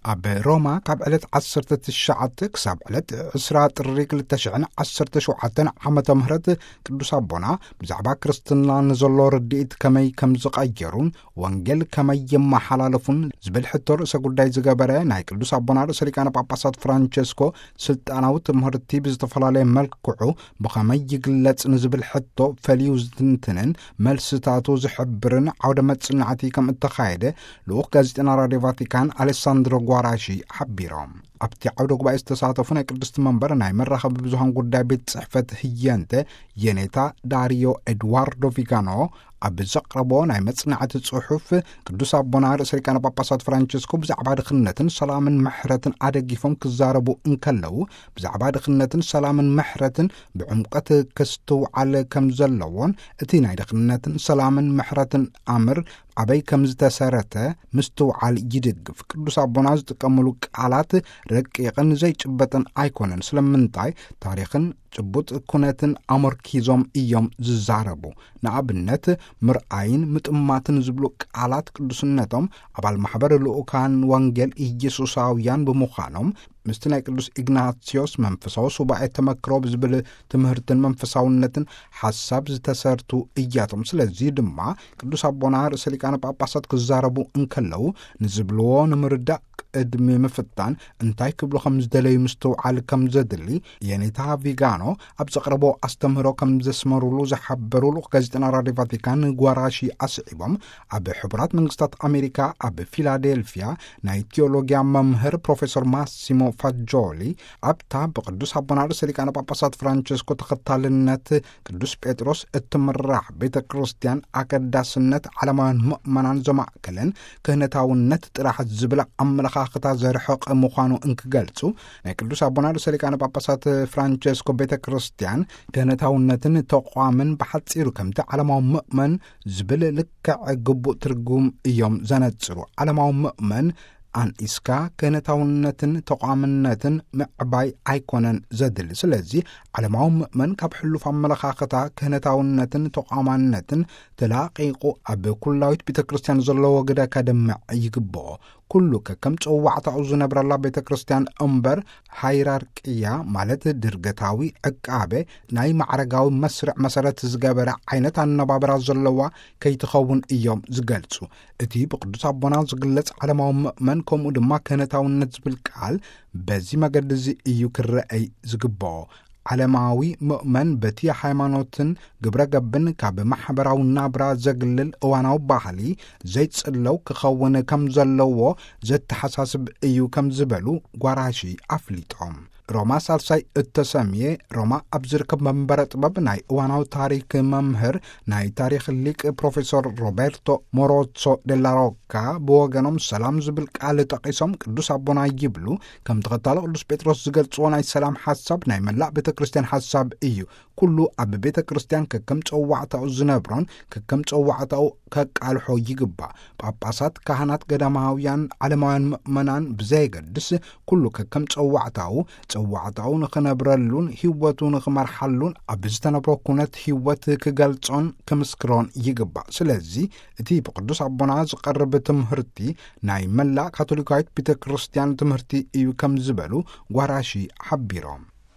ኣብ ሮማ ካብ ዕለት ዓሰርተ ትሽዓተ ክሳብ ዕለት ዕስራ ጥሪ ክልተ ሽሕን ዓሰርተ ሸውዓተን ዓመተ ምህረት ቅዱስ ኣቦና ብዛዕባ ክርስትና ንዘሎ ርድኢት ከመይ ከም ዝቐየሩን ወንጌል ከመይ የመሓላለፉን ዝብል ሕቶ ርእሰ ጉዳይ ዝገበረ ናይ ቅዱስ ኣቦና ርእሰ ሊቃነ ጳጳሳት ፍራንቸስኮ ስልጣናዊ ትምህርቲ ብዝተፈላለየ መልክዑ ብኸመይ ይግለጽ ንዝብል ሕቶ ፈልዩ ዝትንትንን መልስታቱ ዝሕብርን ዓውደ መጽናዕቲ ከም እተኻየደ ልኡኽ ጋዜጠና ራድዮ ቫቲካን ኣሌሳንድሮ ጓራሺ ሓቢሮም። ኣብቲ ዓውደ ጉባኤ ዝተሳተፉ ናይ ቅድስቲ መንበር ናይ መራኸቢ ብዙሃን ጉዳይ ቤት ጽሕፈት ህየንተ የኔታ ዳሪዮ ኤድዋርዶ ቪጋኖ ኣብ ዘቕረቦ ናይ መጽናዕቲ ጽሑፍ፣ ቅዱስ ኣቦና ርእሰ ሊቃነ ጳጳሳት ፍራንቸስኮ ብዛዕባ ድኽነትን ሰላምን ምሕረትን ኣደጊፎም ክዛረቡ እንከለዉ፣ ብዛዕባ ድኽነትን ሰላምን ምሕረትን ብዕምቀት ክስትውዓል ከም ዘለዎን፣ እቲ ናይ ድኽነትን ሰላምን ምሕረትን ኣምር ኣበይ ከም ዝተሰረተ ምስትውዓል ይድግፍ። ቅዱስ ኣቦና ዝጥቀምሉ ቃላት ረቂቕን ዘይጭበጥን ኣይኮነን። ስለምንታይ? ታሪኽን ጭቡጥ ኩነትን ኣመርኪዞም እዮም ዝዛረቡ። ንኣብነት፣ ምርኣይን ምጥማትን ዝብሉ ቃላት ቅዱስነቶም ኣባል ማሕበር ልኡካን ወንጌል ኢየሱሳውያን ብምዃኖም፣ ምስቲ ናይ ቅዱስ ኢግናስዮስ መንፈሳዊ ሱባኤ ተመክሮ ብዝብል ትምህርትን መንፈሳውነትን ሓሳብ ዝተሰርቱ እያቶም። ስለዚ ድማ ቅዱስ ኣቦና ርእሰ ሊቃነ ጳጳሳት ክዛረቡ እንከለዉ ንዝብልዎ ንምርዳእ ቅድሚ ምፍታን እንታይ ክብሉ ከም ዝደለዩ ምስትውዓል ከም ዘድሊ የኔታ ቪጋኖ ኣብ ዘቕረቦ ኣስተምህሮ ከም ዘስመሩሉ ዝሓበሩ ልኡኽ ጋዜጠና ራድዮ ቫቲካን ጓራሺ ኣስዒቦም፣ ኣብ ሕቡራት መንግስታት ኣሜሪካ ኣብ ፊላዴልፊያ ናይ ቲዮሎጊያ መምህር ፕሮፌሰር ማሲሞ ፋጆሊ ኣብታ ብቅዱስ ኣቦና ርእሰ ሊቃነ ጳጳሳት ፍራንቸስኮ ተኸታልነት ቅዱስ ጴጥሮስ እትምራሕ ቤተ ክርስቲያን ኣገዳስነት ዓለማውያን ምእመናን ዘማእከለን ክህነታውነት ጥራሕ ዝብል ኣመለኻኽታ ዘርሕቕ ምዃኑ እንክገልጹ፣ ናይ ቅዱስ ኣቦና ርእሰ ሊቃነ ጳጳሳት ፍራንቸስኮ ቤተ ክርስቲያን ክህነታውነትን ተቋምን ብሓጺሩ ከምቲ ዓለማዊ ምእመን ዝብል ልክዕ ግቡእ ትርጉም እዮም ዘነጽሩ። ዓለማዊ ምእመን ኣንኢስካ ክህነታውነትን ተቋምነትን ምዕባይ ኣይኮነን ዘድሊ። ስለዚ ዓለማዊ ምእመን ካብ ሕሉፍ ኣመለኻኽታ ክህነታውነትን ተቋማነትን ተላቒቑ ኣብ ኩላዊት ቤተ ክርስቲያን ዘለዎ ግደ ከደምዕ ይግብኦ። ኩሉ ከከም ጸዋዕታኡ ዝነብረላ ቤተ ክርስቲያን እምበር፣ ሃይራርቅያ ማለት ድርገታዊ ዕቃበ ናይ ማዕረጋዊ መስርዕ መሰረት ዝገበረ ዓይነት ኣነባብራ ዘለዋ ከይትኸውን እዮም ዝገልጹ። እቲ ብቅዱስ ኣቦና ዝግለጽ ዓለማዊ ምእመን ከምኡ ድማ ክህነታውነት ዝብል ቃል በዚ መገዲ እዚ እዩ ክረአይ ዝግብኦ። ዓለማዊ ምእመን በቲ ሃይማኖትን ግብረ ገብን ካብ ማሕበራዊ ናብራ ዘግልል እዋናዊ ባህሊ ዘይጽለው ክኸውን ከም ዘለዎ ዘተሓሳስብ እዩ ከም ዝበሉ ጓራሺ ኣፍሊጦም። ሮማ ሳልሳይ እተሰምየ ሮማ ኣብ ዝርከብ መንበረ ጥበብ ናይ እዋናዊ ታሪክ መምህር ናይ ታሪኽ ሊቅ ፕሮፌሰር ሮቤርቶ ሞሮሶ ደላሮካ ብወገኖም ሰላም ዝብል ቃል ጠቒሶም ቅዱስ ኣቦና ይብሉ ከም ተኸታሎ ቅዱስ ጴጥሮስ ዝገልጽዎ ናይ ሰላም ሓሳብ ናይ መላእ ቤተ ክርስቲያን ሓሳብ እዩ። ኩሉ ኣብ ቤተ ክርስቲያን ከከም ጸዋዕታኡ ዝነብሮን ከከም ጸዋዕታኡ ከቃልሖ ይግባእ። ጳጳሳት፣ ካህናት፣ ገዳማውያን፣ ዓለማውያን ምእመናን ብዘየገድስ ኩሉ ከከም ጸዋዕታኡ፣ ጸዋዕታኡ ንኽነብረሉን ህይወቱ ንኽመርሓሉን ኣብ ዝተነብሮ ኩነት ህይወት ክገልጾን ክምስክሮን ይግባእ። ስለዚ እቲ ብቅዱስ ኣቦና ዝቐርብ ትምህርቲ ናይ መላእ ካቶሊካዊት ቤተ ክርስቲያን ትምህርቲ እዩ ከም ዝበሉ ጓራሺ ሓቢሮም።